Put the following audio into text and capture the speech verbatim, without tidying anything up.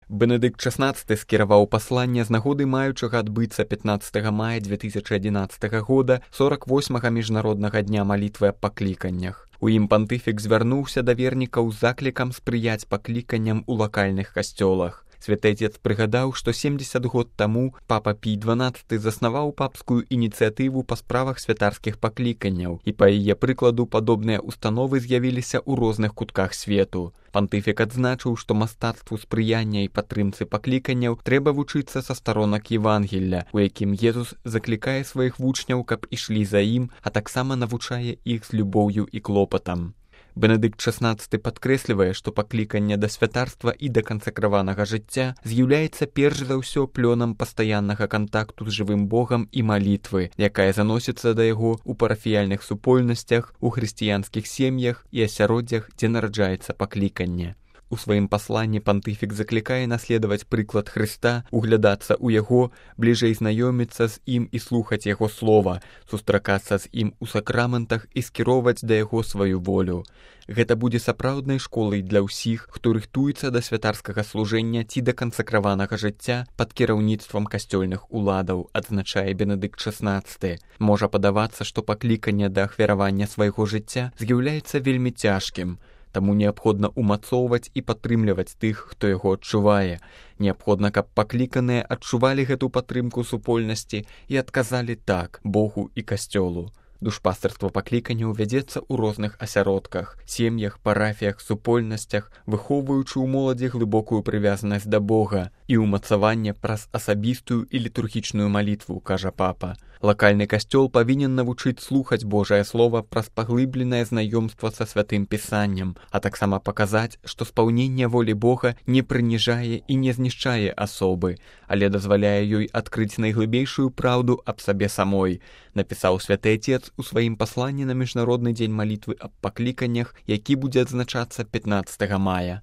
Бенедыкт шаснаццаты скіраваў пасланне з нагоды маючага адбыцца пятнаццатага мая две тысячы адзінаццатага года сорок восьмага міжнароднага дня малітвы аб пакліканнях. У ім пантыфік звярнуўся да вернікаў з заклікам спрыяць пакліканням у лакальных касцёлах. Святы Отец прыгадаў, што семдзесят год таму папа Пій дванаццаты заснаваў папскую ініцыятыву па справах святарскіх пакліканняў, і па яе прыкладу падобныя установы з'явіліся ў розных кутках свету. Пантыфік адзначыў, што мастацтву спрыяння і падтрымцы пакліканняў трэба вучыцца са старонак Евангелля, у якім Езус заклікае сваіх вучняў, каб ішлі за ім, а таксама навучае іх з любоўю і клопатам. Бенедыкт шаснаццаты падкрэслівае, што пакліканне да святарства і да кансакраванага жыцця з'яўляецца перш за ўсё плёнам пастаяннага кантакту з жывым Богам і малітвы, якая заносіцца да яго ў парафіяльных супольнасцях, у хрысціянскіх сем'ях і асяроддзях, дзе нараджаецца пакліканне. У сваім пасланні пантыфік заклікае наследаваць прыклад Хрыста, углядацца ў яго, бліжэй знаёміцца з ім і слухаць яго слова, сустракацца з ім у сакраментах і скіроўваць да яго сваю волю. Гэта будзе сапраўднай школай для ўсіх, хто рыхтуецца да святарскага служэння ці да кансакраванага жыцця пад кіраўніцтвам касцёльных уладаў, адзначае Бенедыкт шаснаццаты. Можа падавацца, што пакліканне да ахвяравання свайго жыцця з'яўляецца вельмі цяжкім. Таму неабходна умацоўваць і падтрымліваць тых, хто яго адчувае. Неабходна, каб пакліканыя адчувалі гэту падтрымку супольнасці і адказалі так Богу і касцёлу. Душпастырства пакліканняў вядзецца ў розных асяродках, сем'ях, парафіях, супольнасцях, выхоўваючы ў моладзі глыбокую прывязанасць да Бога і ўмацаванне праз асабістую і літургічную малітву, кажа папа. Лакальны касцёл павінен навучыць слухаць Божае Слова праз паглыбленае знаёмства са святым пісаннем, а таксама паказаць, што спаўненне волі Бога не прыніжае і не знішчае асобы, але дазваляе ёй адкрыць найглыбейшую праўду аб сабе самой, напісаў Святы Отец у сваім пасланні на міжнародны дзень малітвы аб пакліканнях, які будзе адзначацца пятнаццатага мая.